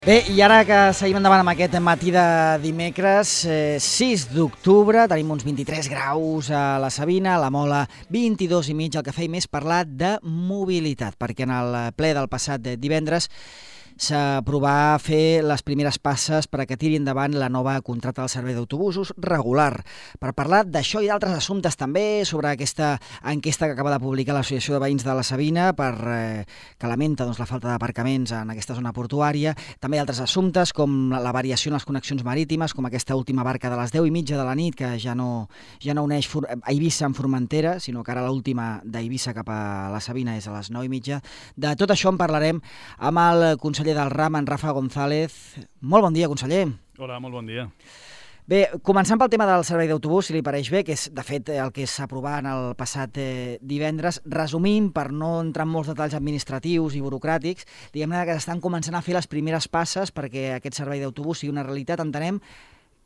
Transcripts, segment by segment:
Bé, i ara que seguim endavant amb aquest matí de dimecres, 6 d'octubre, tenim uns 23 graus a la Sabina, a la Mola 22,5, el que feim és parlar de mobilitat, perquè en el ple del passat divendres s'aprovà fer les primeres passes per a que tiri endavant la nova contracta del servei d'autobusos regular. Per parlar d'això i d'altres assumptes també, sobre aquesta enquesta que acaba de publicar l'Associació de Veïns de la Sabina, que lamenta la falta d'aparcaments en aquesta zona portuària, també altres assumptes com la variació en les connexions marítimes, com aquesta última barca de les 10:30 de la nit, que ja no uneix Eivissa amb Formentera, sinó que ara l'última d'Eivissa cap a la Sabina és a les 9:30. De tot això en parlarem amb el conseller del RAM, en Rafa González. Molt bon dia, conseller. Hola, molt bon dia. Bé, començant pel tema del servei d'autobús, si li pareix bé, que és, de fet, el que s'aprovà en el passat divendres, resumint, per no entrar en molts detalls administratius i burocràtics, diguem-ne que estan començant a fer les primeres passes perquè aquest servei d'autobús sigui una realitat. Entenem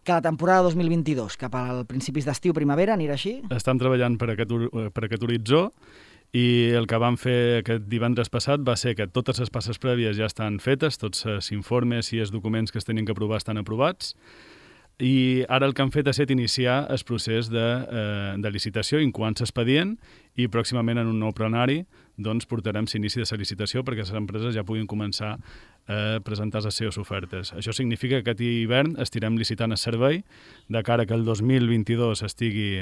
que la temporada 2022, cap als principis d'estiu, primavera, anirà així? Estem treballant per aquest horitzó, i el que vam fer aquest divendres passat va ser que totes les passes prèvies ja estan fetes, tots els informes i els documents que es tenien que aprovar estan aprovats, i ara el que han fet ha estat iniciar el procés de licitació, incoant l'expedient, i pròximament en un nou plenari doncs, portarem l'inici de la licitació perquè les empreses ja puguin començar a presentar les seves ofertes. Això significa que aquest hivern estirem licitant el servei de cara que el 2022 estigui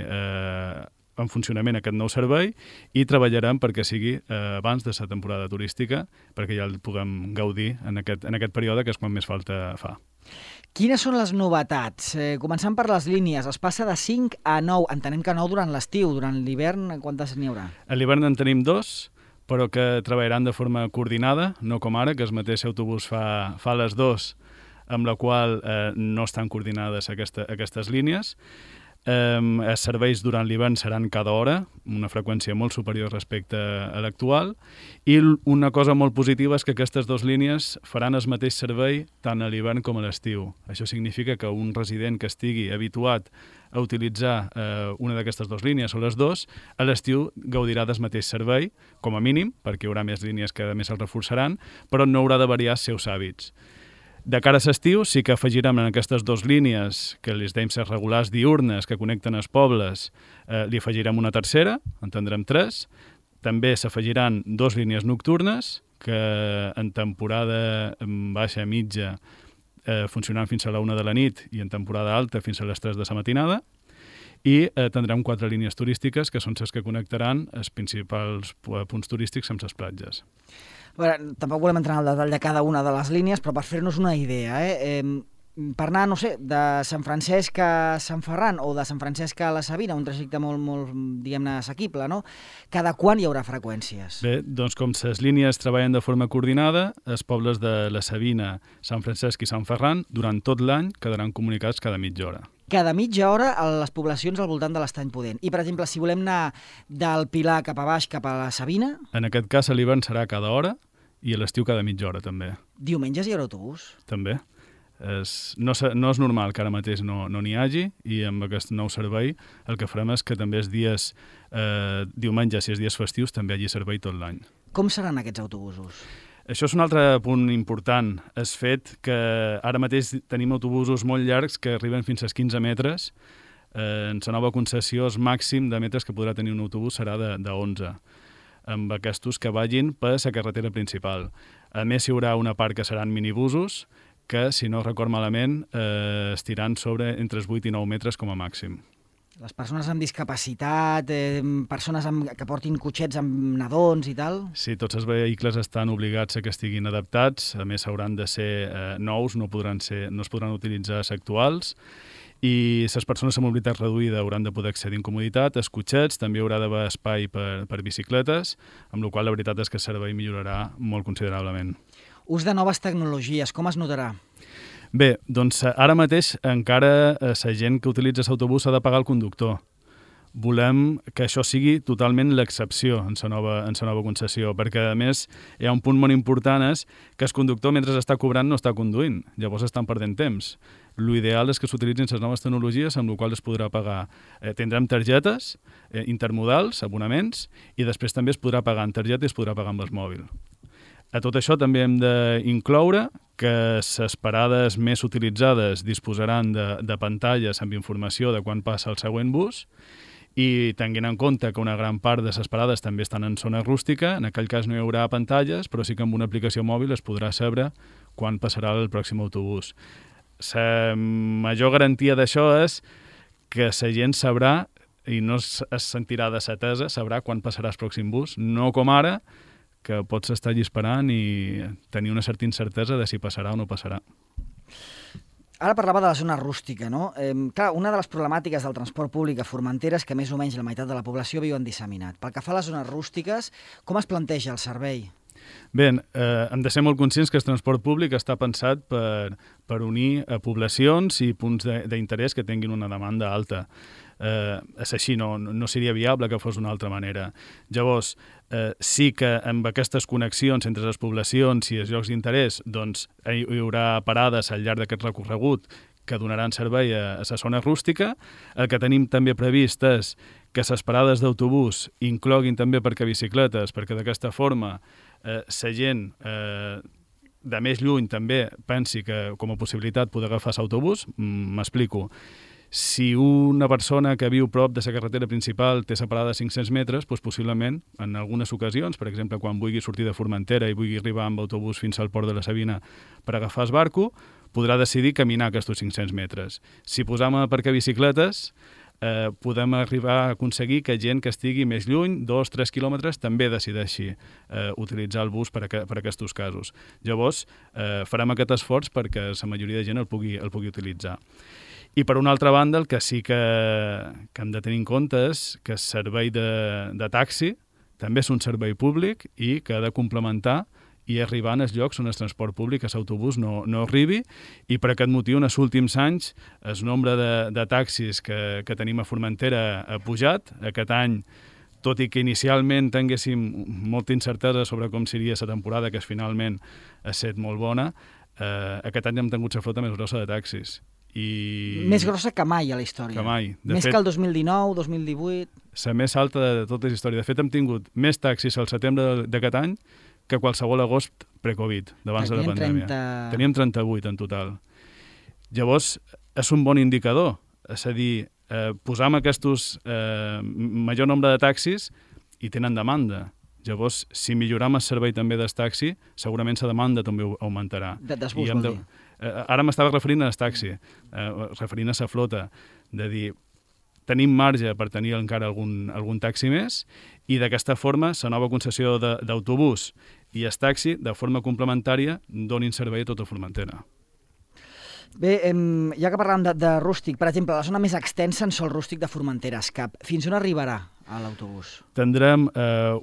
en funcionament aquest nou servei, i treballarem perquè sigui abans de la temporada turística, perquè ja el puguem gaudir en aquest període, que és quan més falta fa. Quines són les novetats? Començant per les línies, es passa de 5 a 9. Entenem que 9 durant l'estiu. Durant l'hivern, quantes n'hi haurà? A l'hivern en tenim 2, però que treballaran de forma coordinada, no com ara, que el mateix autobús fa les 2, amb la qual no estan coordinades aquestes línies. Els serveis durant l'hivern seran cada hora, una freqüència molt superior respecte a l'actual, i una cosa molt positiva és que aquestes dues línies faran el mateix servei tant a l'hivern com a l'estiu. Això significa que un resident que estigui habituat a utilitzar una d'aquestes dues línies o les dues, a l'estiu gaudirà del mateix servei, com a mínim, perquè hi haurà més línies que a més el reforçaran, però no haurà de variar els seus hàbits. De cara a l'estiu sí que afegirem en aquestes dues línies, que les dèiem ser regulars diurnes, que connecten els pobles, li afegirem una tercera, en tindrem 3. També s'afegiran 2 línies nocturnes, que en temporada baixa mitja funcionaran fins a la 1 de la nit i en temporada alta fins a les 3 de la matinada. I tindrem 4 línies turístiques, que són les que connectaran els principals punts turístics amb les platges. Bueno, tampoc volem entrar en el detall de cada una de les línies, però per fer-nos una idea, per anar, no sé, de Sant Francesc a Sant Ferran o de Sant Francesc a la Sabina, un trajecte molt diguem-ne, assequible, no? Cada quan hi haurà freqüències? Bé, doncs com les línies treballen de forma coordinada, els pobles de la Sabina, Sant Francesc i Sant Ferran, durant tot l'any quedaran comunicats cada mitja hora. Cada mitja hora a les poblacions al voltant de l'Estany Pudent. I, per exemple, si volem anar del Pilar cap a baix, cap a la Sabina... En aquest cas, a l'hivern serà cada hora i a l'estiu cada mitja hora, també. Diumenges hi haurà autobús? També. No és normal que ara mateix no n'hi hagi, i amb aquest nou servei el que farem és que també els dies diumenges i els dies festius també hi hagi servei tot l'any. Com seran aquests autobusos? Això és un altre punt important, és fet que ara mateix tenim autobusos molt llargs que arriben fins als 15 metres. En la nova concessió, el màxim de metres que podrà tenir un autobús serà de 11, amb aquests que vagin per la carretera principal. A més, hi haurà una part que seran minibusos, que, si no record malament, estiran sobre entre els 8 i 9 metres com a màxim. Les persones amb discapacitat, persones que portin cotxets amb nadons i tal? Sí, tots els vehicles estan obligats a que estiguin adaptats, a més hauran de ser nous, no es podran utilitzar els actuals, i les persones amb mobilitat reduïda hauran de poder accedir amb comoditat. Els cotxets també haurà d'haver espai per bicicletes, amb la qual la veritat és que el servei millorarà molt considerablement. Ús de noves tecnologies, com es notarà? Bé, doncs ara mateix encara la gent que utilitza l'autobús ha de pagar el conductor. Volem que això sigui totalment l'excepció en la nova concessió, perquè a més hi ha un punt molt important, és que el conductor mentre està cobrant no està conduint, llavors estan perdent temps. L'ideal és que s'utilitzin les noves tecnologies amb les quals es podrà pagar. Tindrem targetes intermodals, abonaments, i després també es podrà pagar en targeta i es podrà pagar amb el mòbil. A tot això també hem d'incloure que les parades més utilitzades disposaran de pantalles amb informació de quan passa el següent bus i tenint en compte que una gran part de les parades també estan en zona rústica, en aquell cas no hi haurà pantalles, però sí que amb una aplicació mòbil es podrà saber quan passarà el pròxim autobús. La major garantia d'això és que la gent sabrà i no es sentirà de setesa, sabrà quan passarà el pròxim bus, no com ara, que pots estar allí esperant i tenir una certa incertesa de si passarà o no passarà. Ara parlava de la zona rústica, no? Clar, una de les problemàtiques del transport públic a Formentera és que més o menys la meitat de la població viu en disseminat. Pel que fa a les zones rústiques, com es planteja el servei? Bé, hem de ser molt conscients que el transport públic està pensat per unir poblacions i punts d'interès que tinguin una demanda alta. És així, no seria viable que fos d'una altra manera. Llavors, sí que amb aquestes connexions entre les poblacions i els llocs d'interès doncs, hi haurà parades al llarg d'aquest recorregut que donaran servei a la zona rústica. El que tenim també previst és que les parades d'autobús incloguin també aparcabicicletes, perquè d'aquesta forma la gent de més lluny també pensi que com a possibilitat poder agafar l'autobús. M'explico. Si una persona que viu prop de la carretera principal té separada de 500 metres, doncs possiblement, en algunes ocasions, per exemple, quan vulgui sortir de Formentera i vulgui arribar amb autobús fins al port de la Sabina per agafar el barco, podrà decidir caminar aquests 500 metres. Si posam aparcabicicletes, podem arribar a aconseguir que gent que estigui més lluny, 2-3 quilòmetres, també decideixi utilitzar el bus per aquests casos. Llavors, farem aquest esforç perquè la majoria de gent el pugui utilitzar. I per una altra banda, el que sí que hem de tenir en compte és que el servei de taxi també és un servei públic i que ha de complementar i arribar als llocs on el transport públic, l'autobús, no arribi, i per aquest motiu, en els últims anys, el nombre de taxis que tenim a Formentera ha pujat. Aquest any, tot i que inicialment tinguéssim molta incertesa sobre com seria la temporada, que finalment ha estat molt bona, aquest any hem tingut la flota més grossa de taxis. Més grossa que mai a la història. Que mai. Més que el 2019, 2018... La més alta de tota la història. De fet, hem tingut més taxis al setembre d'aquest any que qualsevol agost pre-Covid, d'abans de la pandèmia. Teníem 38 en total. Llavors, és un bon indicador. És a dir, posam aquests major nombre de taxis i tenen demanda. Llavors, si milloram el servei també del taxi, segurament la demanda també augmentarà. Dels bus, vol dir. Ara m'estava referint al taxi, referint a la flota, de dir, tenim marge per tenir encara algun taxi més i d'aquesta forma la nova concessió d'autobús i el taxi, de forma complementària, donin servei a tota Formentera. Bé, ja que parlàvem de rústic, per exemple, la zona més extensa en sol rústic de Formentera, Escap, fins on arribarà l'autobús? Tindrem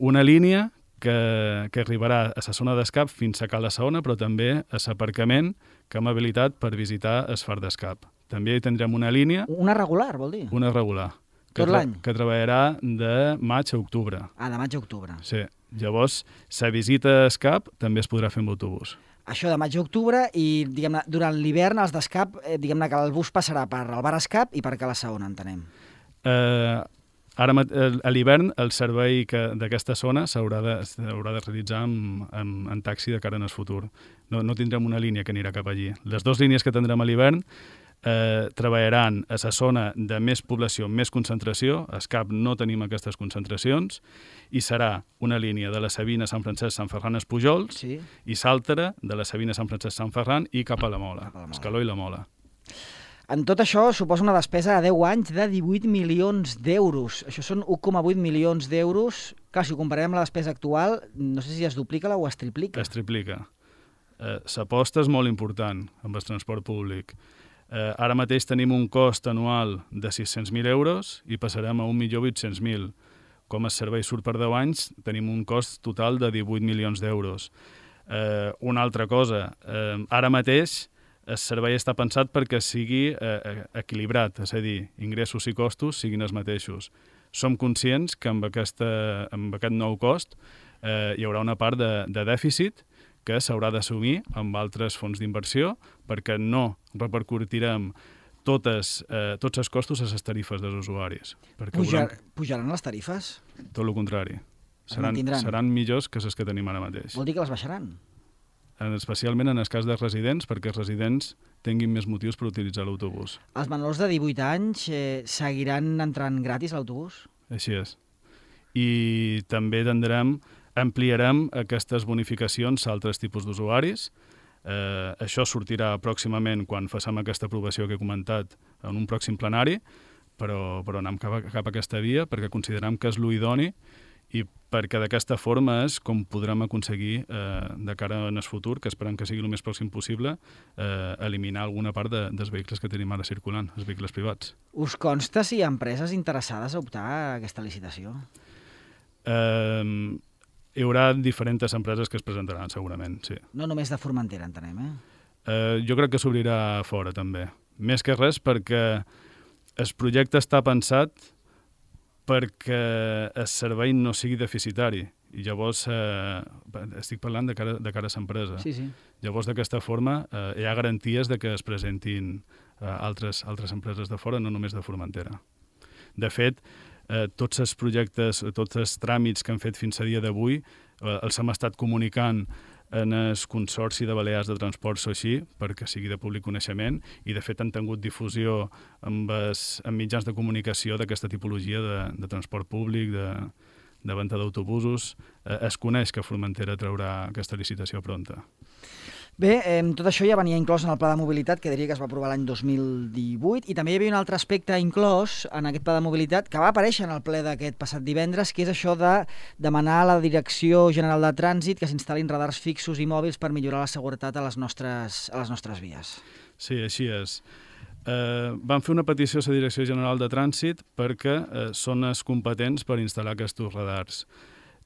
una línia que arribarà a la zona d'Escap fins a Cala Saona, però també a l'aparcament que hem habilitat per visitar el Far d'Escap. També hi tindrem una línia... Una regular, vol dir? Una regular. Tot l'any? Que treballarà de maig a octubre. De maig a octubre. Sí. Llavors, la visita a Escap també es podrà fer amb autobús. Això de maig a octubre i, diguem-ne, durant l'hivern, els d'Escap, diguem-ne que el bus passarà per el bar Escap i per Cala Saona, entenem. Ara, a l'hivern, el servei d'aquesta zona s'haurà de realitzar en taxi de cara en el futur. No tindrem una línia que anirà cap allí. Les dues línies que tindrem a l'hivern treballaran a la zona de més població, més concentració. A Escap no tenim aquestes concentracions i serà una línia de la Sabina, Sant Francesc, Sant Ferran, Espujols, sí, i l'altra de la Sabina, Sant Francesc, Sant Ferran i cap a la Mola, Escaló i la Mola. En tot això suposa una despesa a 10 anys de 18 milions d'euros. Això són 1,8 milions d'euros. Clar, si ho comparem amb la despesa actual, no sé si es duplica o es triplica. Es triplica. L'aposta és molt important amb el transport públic. Ara mateix tenim un cost anual de 600.000 euros i passarem a 1.800.000. Com el servei surt per 10 anys, tenim un cost total de 18 milions d'euros. Una altra cosa, ara mateix el servei està pensat perquè sigui equilibrat, és a dir, ingressos i costos siguin els mateixos. Som conscients que amb aquest nou cost hi haurà una part de dèficit que s'haurà d'assumir amb altres fons d'inversió perquè no repercutirem tots els costos a les tarifes dels usuaris. Pujaran les tarifes? Tot el contrari. seran millors que les que tenim ara mateix. Vol dir que les baixaran? Especialment en el cas dels residents, perquè els residents tinguin més motius per utilitzar l'autobús. Els menors de 18 anys seguiran entrant gratis a l'autobús? Així és. I també ampliarem aquestes bonificacions a altres tipus d'usuaris. Això sortirà pròximament quan facem aquesta aprovació que he comentat en un pròxim plenari, però anem cap a aquesta via perquè considerem que és l'idoni i perquè d'aquesta forma és com podrem aconseguir, de cara en el futur, que esperem que sigui el més pròxim possible, eliminar alguna part dels vehicles que tenim ara circulant, els vehicles privats. Us consta si hi ha empreses interessades a optar a aquesta licitació? Hi haurà diferents empreses que es presentaran, segurament, sí. No només de Formentera, entenem, Jo crec que s'obrirà fora, també. Més que res perquè el projecte està pensat perquè el servei no sigui deficitari. I llavors, estic parlant de cara a l'empresa. Sí. Llavors, d'aquesta forma, hi ha garanties de que es presentin altres empreses de fora, no només de Formentera. De fet, tots els projectes, tots els tràmits que han fet fins a dia d'avui, els hem estat comunicant en el Consorci de Balears de Transports o així, perquè sigui de públic coneixement, i de fet han tingut difusió en mitjans de comunicació d'aquesta tipologia de transport públic, de venda d'autobusos. Es coneix que Formentera traurà aquesta licitació pronta. Bé, tot això ja venia inclòs en el Pla de Mobilitat, que diria que es va aprovar l'any 2018, i també hi havia un altre aspecte inclòs en aquest Pla de Mobilitat que va aparèixer en el ple d'aquest passat divendres, que és això de demanar a la Direcció General de Trànsit que s'instal·lin radars fixos i mòbils per millorar la seguretat a les nostres vies. Sí, així és. Vam fer una petició a la Direcció General de Trànsit perquè són els competents per instal·lar aquests radars.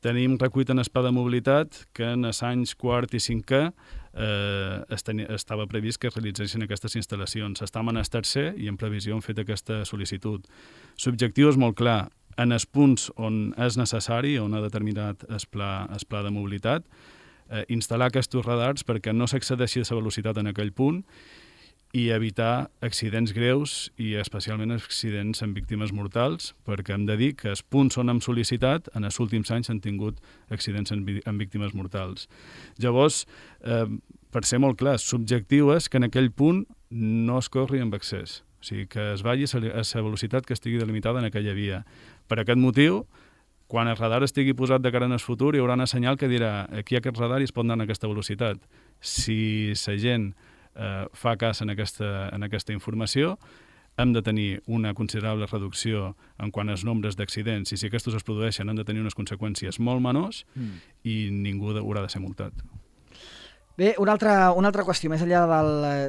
Tenim recuit en el Pla de Mobilitat que en els anys quart i cinquè estava previst que es realitzessin aquestes instal·lacions. Estem en el tercer i en previsió hem fet aquesta sol·licitud. L'objectiu és molt clar. En els punts on és necessari, on ha determinat el pla de mobilitat, instal·lar aquests radars perquè no s'excedeixi la velocitat en aquell punt i evitar accidents greus i especialment accidents amb víctimes mortals, perquè hem de dir que els punts on hem sol·licitat en els últims anys han tingut accidents amb víctimes mortals. Llavors, per ser molt clar, l'objectiu és que en aquell punt no es corri amb excés, o sigui, que es vagi a la velocitat que estigui delimitada en aquella via. Per aquest motiu, quan el radar estigui posat de cara en el futur, hi haurà un senyal que dirà aquí aquest radar i es pot anar en aquesta velocitat. Si la gent fa cas en aquesta informació, hem de tenir una considerable reducció en quant als nombres d'accidents i si aquests es produeixen han de tenir unes conseqüències molt menors i ningú haurà de ser multat. Bé, una altra qüestió, més enllà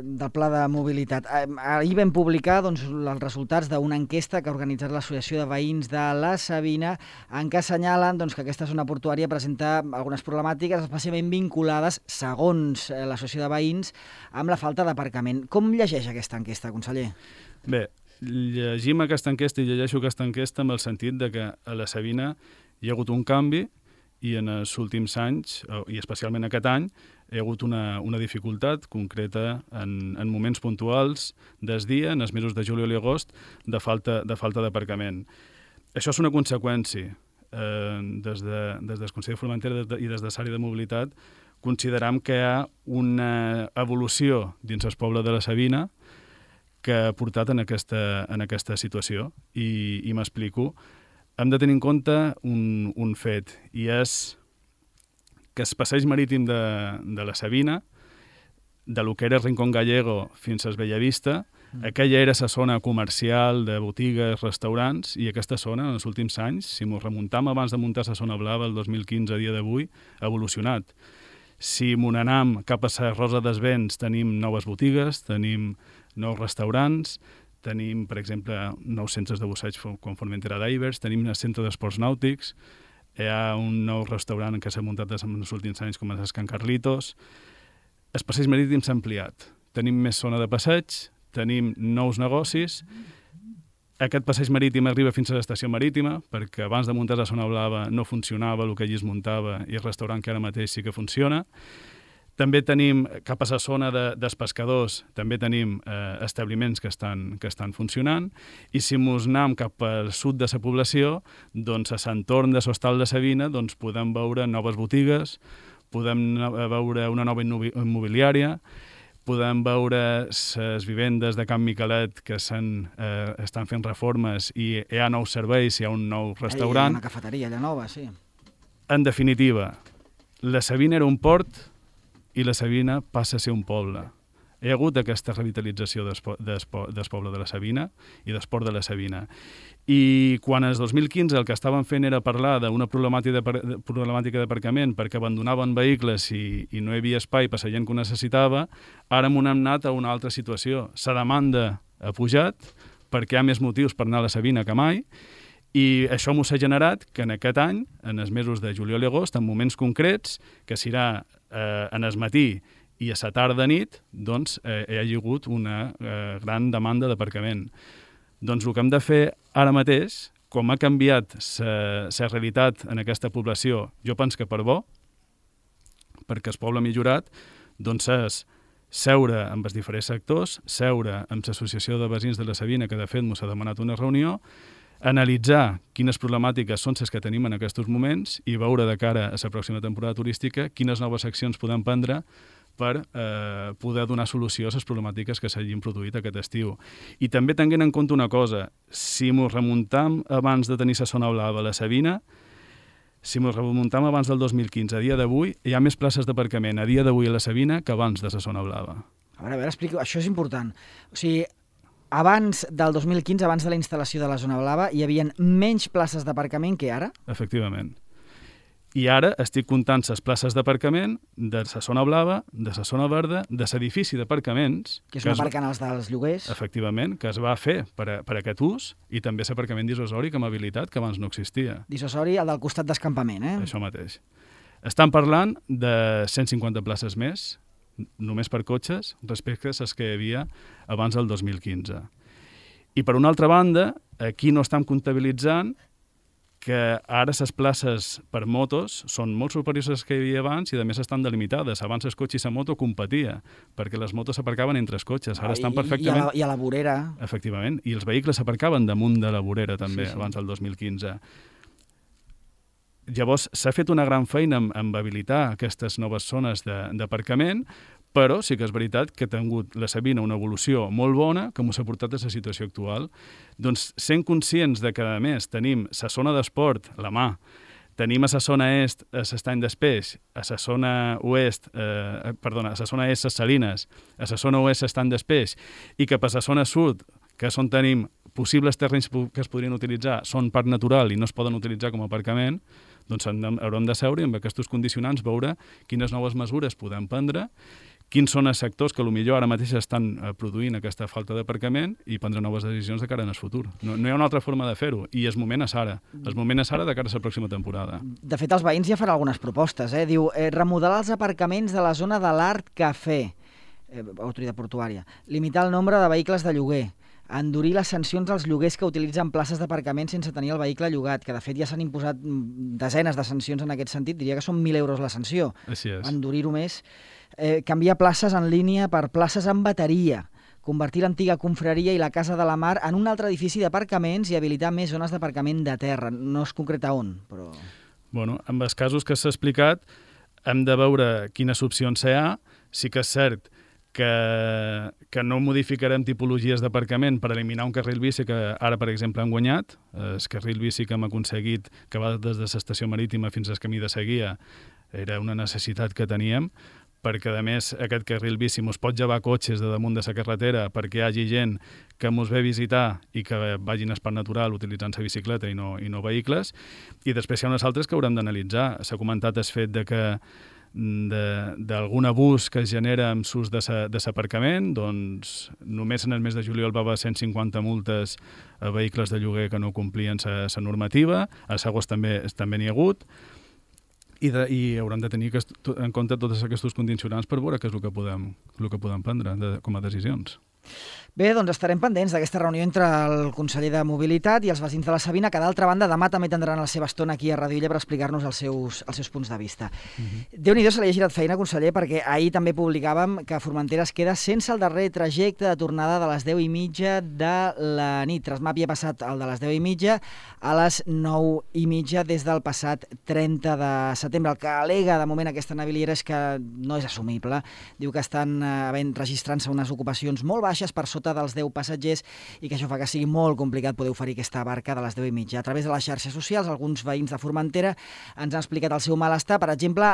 del pla de mobilitat. Ahir vam publicar els resultats d'una enquesta que ha organitzat l'Associació de Veïns de la Sabina, en què assenyalen que aquesta zona portuària presenta algunes problemàtiques, especialment vinculades, segons l'Associació de Veïns, amb la falta d'aparcament. Com llegeix aquesta enquesta, conseller? Bé, llegim aquesta enquesta i llegeixo aquesta enquesta amb el sentit de que a la Sabina hi ha hagut un canvi i en els últims anys, i especialment aquest any, hi ha hagut una dificultat concreta en moments puntuals del dia, en els mesos de juliol i agost, de falta d'aparcament. Això és una conseqüència. Des del Consell de Formentera i des de l'àrea de mobilitat consideram que hi ha una evolució dins el poble de la Sabina que ha portat en aquesta situació. I m'explico. Hem de tenir en compte un fet, i és que el passeig marítim de la Sabina, de lo que era Rincón Gallego fins a Bellavista, aquella era la zona comercial de botigues, restaurants, i aquesta zona, en els últims anys, si m'ho remuntam abans de muntar la zona blava, el 2015 a dia d'avui, ha evolucionat. Si m'ho anem cap a la Rosa dels Vents, tenim noves botigues, tenim nous restaurants, tenim, per exemple, nous centres de busseig com Formentera Divers, tenim un centre d'esports nàutics, hi ha un nou restaurant que s'ha muntat en els últims anys com és Can Carlitos. El passeig marítim s'ha ampliat. Tenim més zona de passeig, tenim nous negocis. Aquest passeig marítim arriba fins a l'estació marítima, perquè abans de muntar la zona blava no funcionava el que allí es muntava i el restaurant que ara mateix sí que funciona. També tenim, cap a la zona dels pescadors, també tenim establiments que estan funcionant, i si mos anem cap al sud de la població, doncs a l'entorn de l'Hostal de Savina doncs, podem veure noves botigues, podem veure una nova immobiliària, podem veure les vivendes de Can Miquelet que estan fent reformes i hi ha nous serveis, hi ha un nou restaurant. Hi ha una cafeteria allà nova, sí. En definitiva, la Savina era un port i la Savina passa a ser un poble. Hi ha hagut aquesta revitalització del poble de la Savina i del port de la Savina. I quan el 2015 el que estaven fent era parlar d'una problemàtica d'aparcament perquè abandonaven vehicles i no hi havia espai per la gent que ho necessitava, ara hem anat a una altra situació. La demanda ha pujat perquè hi ha més motius per anar a la Savina que mai, i això m'ho s'ha generat que en aquest any, en els mesos de juliol i agost, en moments concrets, que serà en el matí i a la tarda nit, doncs hi ha hagut una gran demanda d'aparcament. Doncs el que hem de fer ara mateix, com ha canviat la realitat en aquesta població, jo penso que per bo, perquè el poble ha millorat, doncs és seure amb els diferents sectors, seure amb l'associació de veïns de la Savina, que de fet m'ho s'ha demanat una reunió, analitzar quines problemàtiques són les que tenim en aquests moments i veure de cara a la pròxima temporada turística quines noves accions podem prendre per poder donar solució a les problemàtiques que s'hagin produït aquest estiu. I també tenint en compte una cosa, si ens remuntam abans de tenir la zona blava a la Savina, si ens remuntam abans del 2015, a dia d'avui, hi ha més places d'aparcament a dia d'avui a la Savina que abans de la zona blava. A veure, explico, això és important. O sigui, abans del 2015, abans de la instal·lació de la zona blava, hi havia menys places d'aparcament que ara? Efectivament. I ara estic comptant les places d'aparcament de la zona blava, de la zona verda, de l'edifici d'aparcaments... Que és un aparcant als dels lloguers. Efectivament, que es va fer per aquest ús, i també l'aparcament dissuasori com a habilitat, que abans no existia. Dissuasori, el del costat d'escampament, eh? Això mateix. Estan parlant de 150 places més, només per cotxes, respecte a les que hi havia abans del 2015. I per una altra banda, aquí no estem comptabilitzant que ara les places per motos són molt superiors a les que hi havia abans i a més estan delimitades. Abans el cotxe i la moto competia, perquè les motos s'aparcaven entre els cotxes. Ara estan perfectament... I a la vorera. Efectivament, i els vehicles s'aparcaven damunt de la vorera també, abans del 2015. Llavors, s'ha fet una gran feina en habilitar aquestes noves zones d'aparcament, però sí que és veritat que ha tingut la Savina una evolució molt bona que ens ha portat a la situació actual. Doncs sent conscients de que, a més, tenim la zona d'esport, la mà, tenim a la zona est l'estany d'Espeix, a la zona oest, a la zona est les Salines, a la zona oest l'estany d'Espeix, i que per la zona sud, que és on tenim possibles terrenys que es podrien utilitzar, són parc natural i no es poden utilitzar com a aparcament, doncs haurem de seure i amb aquests condicionants veure quines noves mesures podem prendre, quins són els sectors que potser ara mateix estan produint aquesta falta d'aparcament i prendre noves decisions de cara en el futur. No hi ha una altra forma de fer-ho, i el moment és ara. El moment és ara de cara a la pròxima temporada. De fet, els veïns ja faran algunes propostes. Diu, remodelar els aparcaments de la zona de l'Art Cafè, autoritat portuària, limitar el nombre de vehicles de lloguer, endurir les sancions als lloguers que utilitzen places d'aparcament sense tenir el vehicle llogat, que de fet ja s'han imposat desenes de sancions en aquest sentit, diria que són 1.000 euros la sanció. Així és. Endurir-ho més. Canviar places en línia per places amb bateria, convertir l'antiga confraria i la Casa de la Mar en un altre edifici d'aparcaments i habilitar més zones d'aparcament de terra. No es concreta on, però... Bueno, amb els casos que s'ha explicat, hem de veure quines opcions hi ha. Sí que és cert que no modificarem tipologies d'aparcament per eliminar un carril bici que ara, per exemple, han guanyat. El carril bici que hem aconseguit, que va des de l'estació marítima fins al camí de Seguia, era una necessitat que teníem, perquè, a més, aquest carril bici ens pot llevar cotxes de damunt de la carretera perquè hi hagi gent que ens ve a visitar i que vagin al parc natural utilitzant la bicicleta i no vehicles. I després hi ha unes altres que haurem d'analitzar. S'ha comentat el fet de que d'algun abús que es genera amb l'ús de l'aparcament, doncs només en el mes de juliol va haver 150 multes a vehicles de lloguer que no complien la normativa, a l'agost també n'hi ha hagut, i haurem de tenir en compte tots aquests condicionants per veure què és el que podem prendre com a decisions. Bé, doncs estarem pendents d'aquesta reunió entre el conseller de Mobilitat i els veïns de la Sabina, que d'altra banda demà també tindran la seva estona aquí a Ràdio Illa per explicar-nos els seus punts de vista. Déu-n'hi-do, se li ha girat feina, conseller, perquè ahir també publicàvem que Formentera es queda sense el darrer trajecte de tornada de les 10:30 de la nit. Trasmap havia passat el de les 10:30 a les 9:30 des del passat 30 de setembre. El que al·lega de moment aquesta naviliera és que no és assumible. Diu que estan registrant-se unes ocupacions molt baixes per sota dels 10 passatgers i que això fa que sigui molt complicat poder oferir aquesta barca de les 10:30. A través de les xarxes socials, alguns veïns de Formentera ens han explicat el seu malestar. Per exemple,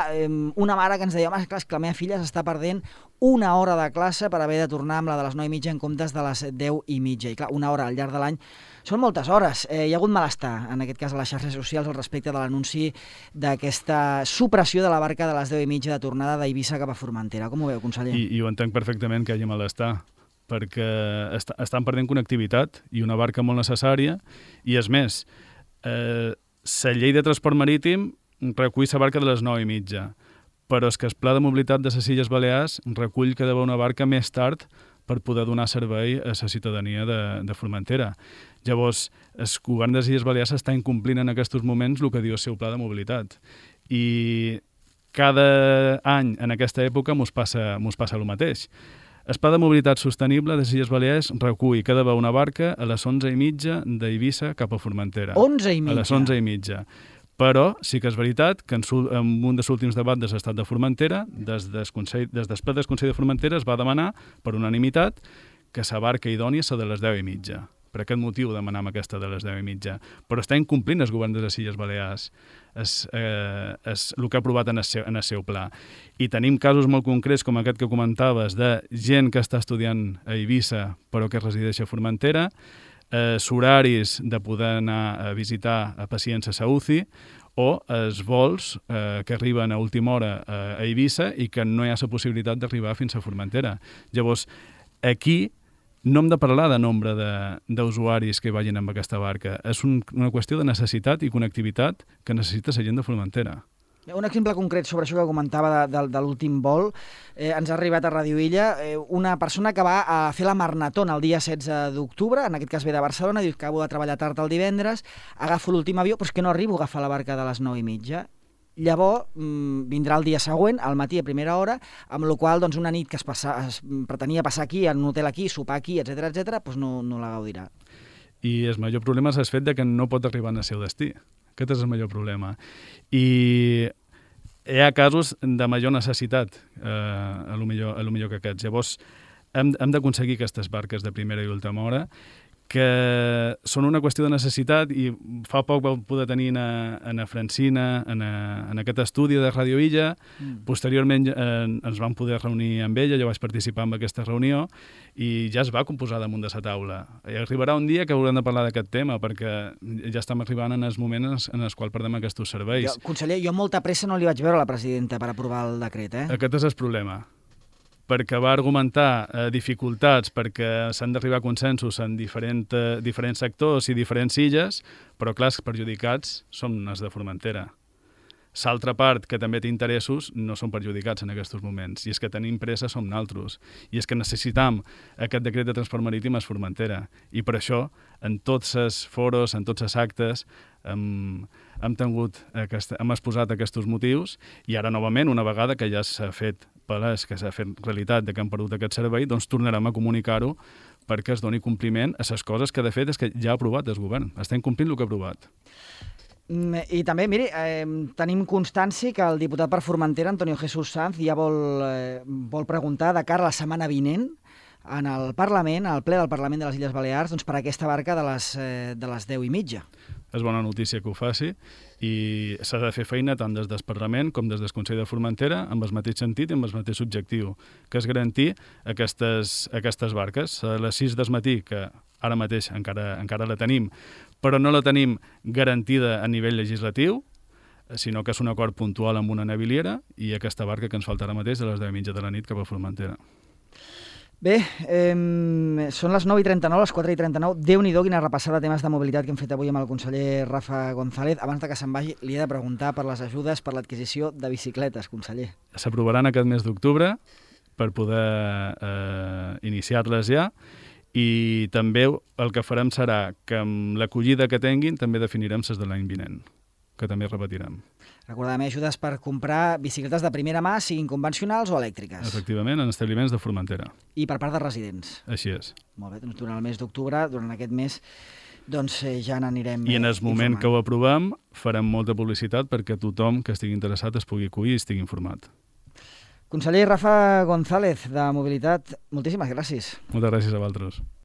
una mare que ens deia, home, clar, és que la meva filla s'està perdent una hora de classe per haver de tornar amb la de les 9:30 en comptes de les 10:30. I clar, una hora al llarg de l'any són moltes hores. Hi ha hagut malestar, en aquest cas a les xarxes socials, al respecte de l'anunci d'aquesta supressió de la barca de les 10:30 de tornada d'Eivissa cap a Formentera. Com ho veu, conseller? I ho entenc perfectament que hi hagi malestar, perquè estan perdent connectivitat i una barca molt necessària, i és més, la llei de transport marítim recull la barca de les 9:30, però és que el Pla de Mobilitat de les Illes Balears recull que ha d'haver una barca més tard per poder donar servei a la ciutadania de Formentera. Llavors, el govern de les Illes Balears està incomplint en aquests moments el que diu el seu Pla de Mobilitat. I cada any, en aquesta època, mos passa el mateix. El Pla de Mobilitat Sostenible de les Illes Balears recull que ha d'haver una barca a les 11:30 d'Eivissa cap a Formentera. 11:30? A les 11:30. Però sí que és veritat que en un dels últims debats de l'estat de Formentera, des del ple del Consell de Formentera es va demanar, per unanimitat, que la barca idònia sigui de les 10:30. Per aquest motiu demanam aquesta de les 10:30. Però està incomplint el govern de les Illes Balears el que ha aprovat en el seu pla. I tenim casos molt concrets, com aquest que comentaves, de gent que està estudiant a Eivissa però que resideix a Formentera, horaris de poder anar a visitar a pacients a UCI, o els vols que arriben a última hora a Eivissa i que no hi ha la possibilitat d'arribar fins a Formentera. Llavors, aquí no hem de parlar de nombre d'usuaris que vagin amb aquesta barca. És una qüestió de necessitat i connectivitat que necessita la gent de Formentera. Un exemple concret sobre això que comentava de l'últim vol. Ens ha arribat a Ràdio Illa una persona que va a fer la Marnatona el dia 16 d'octubre, en aquest cas ve de Barcelona, diu que acabo de treballar tard el divendres, agafo l'últim avió, però és que no arribo a agafar la barca de les 9:30. Llavors vindrà el dia següent, al matí a primera hora, amb la qual cosa una nit que es pretenia passar aquí, en un hotel aquí, sopar aquí, etc doncs no la gaudirà. I el major problema és el fet que no pot arribar al seu destí. Aquest és el major problema. I hi ha casos de major necessitat, a lo millor que aquests. Llavors, hem d'aconseguir aquestes barques de primera i última hora, que són una qüestió de necessitat, i fa poc vau poder tenir a Francina, en aquest estudi de Ràdio Illa. Posteriorment ens vam poder reunir amb ella, jo vaig participar en aquesta reunió, i ja es va composar damunt de la taula. I arribarà un dia que haurem de parlar d'aquest tema, perquè ja estem arribant en els moments en els quals perdem aquests serveis. Conseller, jo molta pressa no li vaig veure a la presidenta per aprovar el decret, Aquest és el problema, perquè va argumentar dificultats, perquè s'han d'arribar a consensos en diferents sectors i diferents illes, però clar, els perjudicats són els de Formentera. L'altra part, que també té interessos, no són perjudicats en aquests moments, i és que tenim pressa som naltros, i és que necessitam aquest decret de transport marítim a Formentera, i per això, en tots els foros, en tots els actes, hem exposat aquests motius, i ara novament, una vegada que ja s'ha fet palès, que s'ha fet realitat de que hem perdut aquest servei, doncs tornarem a comunicar-ho perquè es doni compliment a les coses que de fet és que ja ha aprovat el govern. Està incomplint el que ha aprovat. I també, miri, tenim constància que el diputat per Formentera, Antonio Jesús Sanz, ja vol preguntar de cara a la setmana vinent en el Parlament, al ple del Parlament de les Illes Balears, doncs per aquesta barca de les 10:30. És bona notícia que ho faci, i s'ha de fer feina tant des del Parlament com des del Consell de Formentera amb el mateix sentit i amb el mateix objectiu, que és garantir aquestes barques. A les 6 del matí, que ara mateix encara la tenim, però no la tenim garantida a nivell legislatiu, sinó que és un acord puntual amb una naviliera, i aquesta barca que ens falta ara mateix de les 10:30 de la nit cap a Formentera. Bé, són les 9:39, les 4:39. Déu-n'hi-do quina repassada de temes de mobilitat que hem fet avui amb el conseller Rafa González. Abans de que se'n vagi, li he de preguntar per les ajudes per l'adquisició de bicicletes, conseller. S'aprovaran aquest mes d'octubre per poder iniciar-les ja, I també el que farem serà que amb l'acollida que tinguin també definirem les de l'any vinent, que també repetirem. Recordem, ajudes per comprar bicicletes de primera mà, siguin convencionals o elèctriques. Efectivament, en establiments de Formentera. I per part de residents. Així és. Molt bé, doncs durant el mes d'octubre, durant aquest mes, doncs ja n'anirem I en el moment que ho aprovem farem molta publicitat perquè tothom que estigui interessat es pugui acollir i estigui informat. Conseller Rafa González, de Mobilitat, moltíssimes gràcies. Moltes gràcies a vosaltres.